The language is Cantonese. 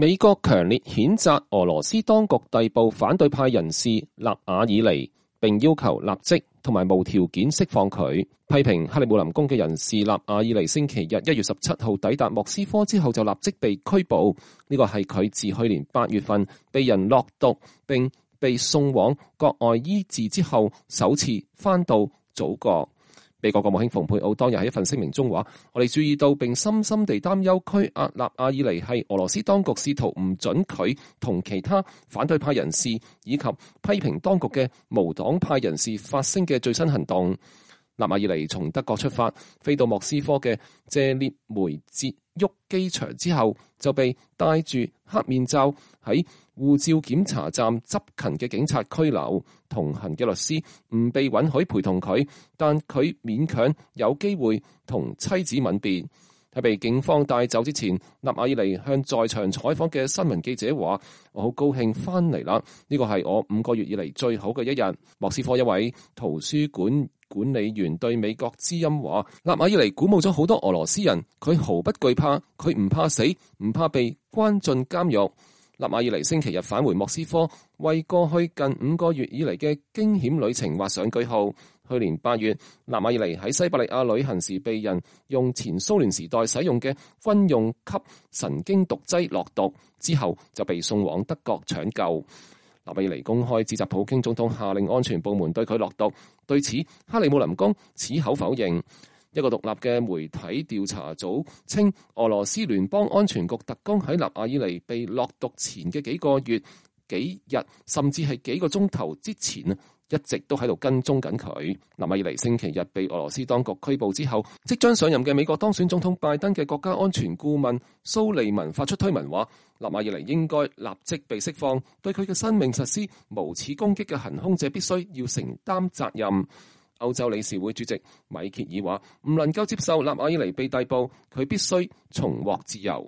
美國強烈譴責俄羅斯當局逮捕反對派人士納瓦爾尼，並要求立即同埋無條件釋放佢。批評克里姆林宮嘅人士納瓦爾尼星期日1月17號抵達莫斯科之後就立即被拘捕，呢個係佢自去年8月份被人落毒並被送往國外醫治之後首次返到祖國。美國國務卿蓬佩奧當日喺一份聲明中話：我哋注意到並深深地擔憂拘押納瓦爾尼係俄羅斯當局試圖唔准佢同其他反對派人士以及批評當局嘅無黨派人士發聲嘅最新行動。納瓦爾尼從德國出發，飛到莫斯科嘅謝列梅捷沃機場之後，就被戴住黑面罩喺護照檢查站執勤嘅警察拘留。同行嘅律師唔被允許陪同佢，但佢勉強有機會同妻子吻別。喺被警方帶走之前，納瓦爾尼向在場採訪嘅新聞記者話：我好高興翻嚟啦，呢個係我5個月以嚟最好嘅一日。莫斯科一位圖書館管理員對美國之音話：納瓦爾尼鼓舞咗好多俄羅斯人，佢毫不懼怕，佢唔怕死，唔怕被關進監獄。納瓦爾尼星期日返回莫斯科，為過去近5個月以嚟嘅驚險旅程畫上句號。去年8月，納瓦爾尼喺西伯利亞旅行時被人用前蘇聯時代使用嘅軍用級神經毒劑落毒，之後就被送往德國搶救。納瓦爾尼公開指責普京總統下令安全部門對佢落毒，對此克里姆林宮矢口否認。一個獨立嘅媒體調查組稱，俄羅斯聯邦安全局特工喺納瓦爾尼被落毒前嘅幾個月、幾日，甚至係幾個鐘頭之前一直都喺度跟蹤緊佢。納瓦爾尼星期日被俄羅斯當局拘捕之後，即將上任嘅美國當選總統拜登嘅國家安全顧問蘇利文發出推文話：納瓦爾尼應該立即被釋放，對佢嘅生命實施無恥攻擊嘅行兇者必須要承擔責任。歐洲理事會主席米歇爾話：唔能夠接受納瓦爾尼被逮捕，佢必須重獲自由。